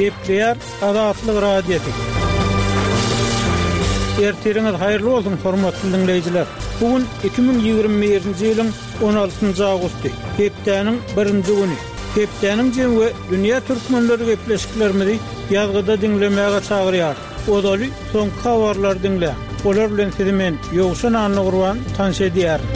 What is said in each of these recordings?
Gepleýär Azatlyk Radiosy. Ertiriňiz haýyrly bolsun, hormatly diňleýjiler! Bu gün 2021-nji ýylyň 16-njy awgusty, hepdäniň birinji güni. Hepdäniň jemi we dünýä türkmenleri gepleşiklerimizi ýazgyda diňlemäge çagyrýarys. Ozaly soňky habarlary diňläň. Olar bilen sizi men, Ýowşan Annagurban, tanyş edýärin.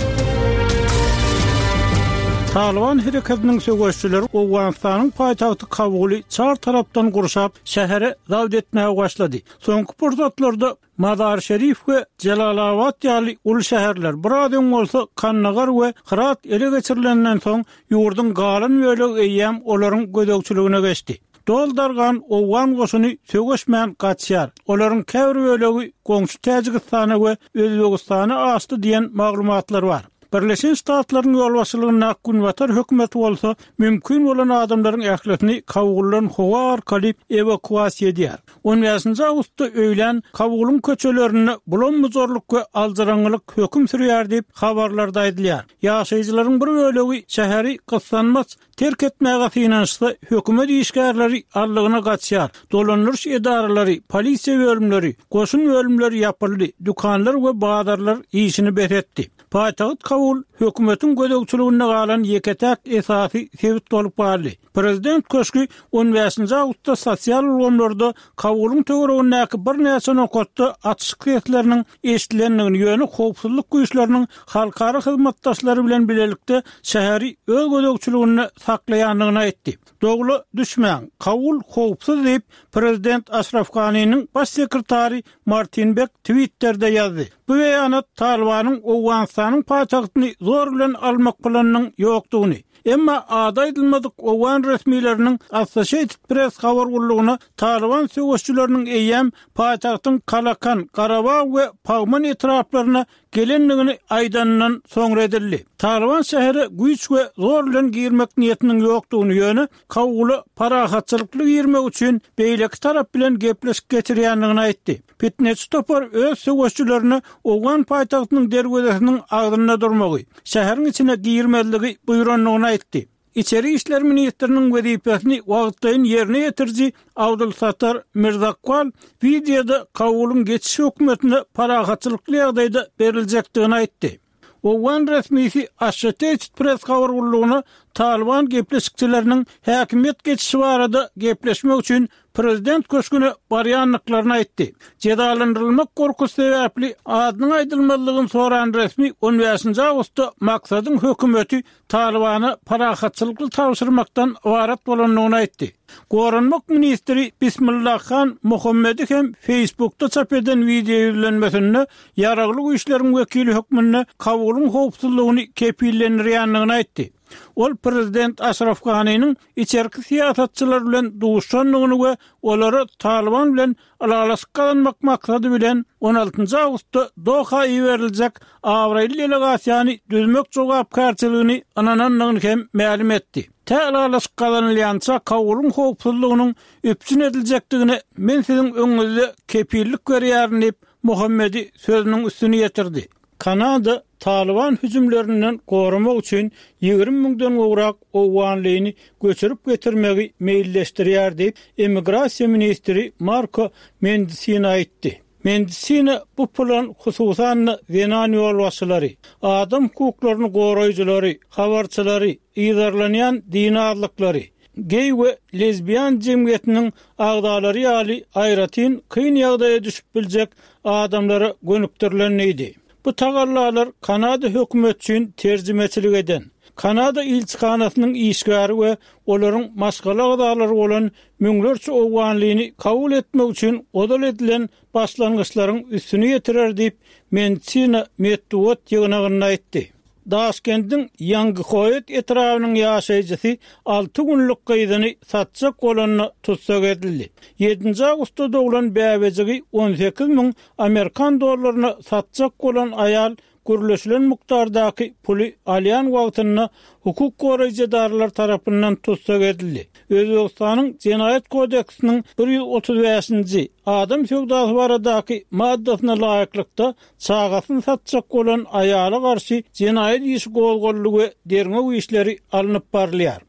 Talyban hereketiniň söweşijileri Owganystanyň paýtagty Kabuly çar tarapdan gurşap, şäheri zabt etmäge başlady. Soňky pursatlarda Mazar-Şerif we Jelalabat ýaly uly şäherler, biraz öň bolsa Kandagar we Hyrat ele geçirilenden soň, ýurduň galan bölegi eýýäm olaryň gözegçiligine geçdi. Doly dargan owgan goşuny söweşmän gaçýar. Olaryň käbir bölegi goňşy Täjigistana we Özbegistana aşdy diýen maglumatlar bar. Birleşen Ştatlaryň ýolbaşçylygyndaky Günbatar hökümeti bolsa mümkin bolan adamlaryň ählisini Kabuldan howa arkaly ewakuasiýa edýär. On bäşinji awgustda öýlän Kabulyň köçelerinde bulam-bujarlyk we aljyraňňylyk höküm sürýär diýip, habarlarda aýdylýar. Ýaşaýjylaryň bir bölegi şäheri gyssanmaç Terk etmäge synanyşsa, hökümet işgärleri aldygyna gaçýar, dolandyryş edaralary, polisiýa bölümleri, goşun bölümleri ýapyldy, dükanlar we bazarlar işini bes etdi. Paýtagt Kabul hökümetiň gözegçiliginde galan ýeke-täk esasy sebit bolup galdy. Prezident köşgi on bäşinji awgustda sosial ulgamlarda Kabulyň töweregindäki birnäçe nokatda atyşyk sesleriniň eşidilendigini, ýöne howpsuzlyk güýçleriniň halkara hyzmatdaşlary bilen bilelikde şäheri öz gözegçiliginde saklaýandygyny aýtdy. Dowla düşmäň, Kabul howpsuz diýip, prezident Aşraf Ganiniň baş sekretary Martin Bek Twitterde ýazdy. Bu beýanat Talybanyň Owganystanyň paýtagtyny zor bilen almak planynyň ýokdugyny, Emma ady aýdylmadyk owgan resmileriniň Associated Press habar gullugyna Talyban söweşçileriniň eýýäm paýtagtyň Kalakan, Garabag we Pagman etraplaryna gelendigini aýdanyndan soňra edildi. Talyban şähere güýç we zor bilen girmek niýetiniň ýokdugyny, ýöne Kabula parahatçylykly girmek üçin beýleki tarap bilen gepleşik geçirýändigini aýtdy. Pitneçi topar öz söweşçilerine owgan paýtagtynyň derwezesiniň agzynda durmagy, şäheriň içine girmezligi buýrandygyny aýtdy. Içeri işler ministriniň wezipesini wagtlaýyn ýerine ýetiriji Abdulsattar Mirzakwal wideoda Kabulyň geçiş hökümetine parahatçylykly ýagdaýda beriljekdigini aýtdy. Owgan resmisi Associated Press habar gullugyna Talyban gepleşikçileriniň häkimiýet geçişi barada gepleşmek üçin prezident köşgüne barýandyklaryny aýtdy. Jezalandyrylmak gorkusy sebäpli adynyň aýdylmazlygyny soran resmi on bäşinji awgustda maksadyň hökümeti Talybana parahatçylykly tabşyrmakdan ybarat bolandygyny aýtdy. Goranmak ministri Bismillah Han Mohammedi hem Facebookda çap eden wideoýüzlenmesinde ýaragly güýçleriň wekili hökmünde Kabulyň howpsuzlygyny kepillendirýändigini aýtdy. Ol prezident Aşraf Ganiniň içerki syýasatçylar bilen duşandygyny we olara Talyban bilen Ylalaşyk gazanmak maksady bilen, on altynjy awgustda Doha iberiljek abraýly delegasiýany düzmek jogapkärçiligini ynanandygyny hem mälim etdi. Tä ylalaşyk gazanylýança Kabulyň howpsuzlygynyň üpjün ediljekdigine men siziň öňüňizde kepillik berýärin diýip, Mohammedi sözüniň üstüni ýetirdi. Kanada Talyban hüjümlerinden goramak üçin 20 müňden gowrak owganlyny göçürip getirmegi meýilleşdirýär diýip, emigrasiýa ministri Marko Mendisino aýtdy. Mendisino bu plan hususan-da zenan ýolbaşçylary, adam hukuklaryny goraýjylary, habarçylary, yzarlanýan dini azlyklary, geý we lezbiýan jemgyýetiniň agzalary ýaly aýratyn kyn ýagdaýa düşüp biljek adamlara gönükdirilen diýdi. Bu tagallalar Kanada hökümeti üçin terjimeçilik eden, Kanada ilçihanasynyň işgäri we olaryň maşgala agzalary bolan müňlerçe owganlyny kabul etmek üçin ozal edilen başlangyçlaryň üstüni ýetirer diýip, Mendisina metbugat ýygnagynda aýtdy. Daşkendiň Ýangihoýet etrabynyň ýaşaýjysy alty günlük gyzyny satjak bolanda tussag edildi. Ýedinji awgustda doglan bäbejigi 18 müň amerikan dollaryna satjak bolan aýal gürleşilen mukdardaky puly alýan wagtynda hukuk goraýjy edaralar tarapyndan tussag edildi. Özbegistanyň Jenaýat kodeksiniň 135-nji, adam söwdasy baradaky maddasyna laýyklykda, çagasyny satjak bolan aýala garşy jenaýat işi gozgaldy we derňew işleri alnyp barylýar.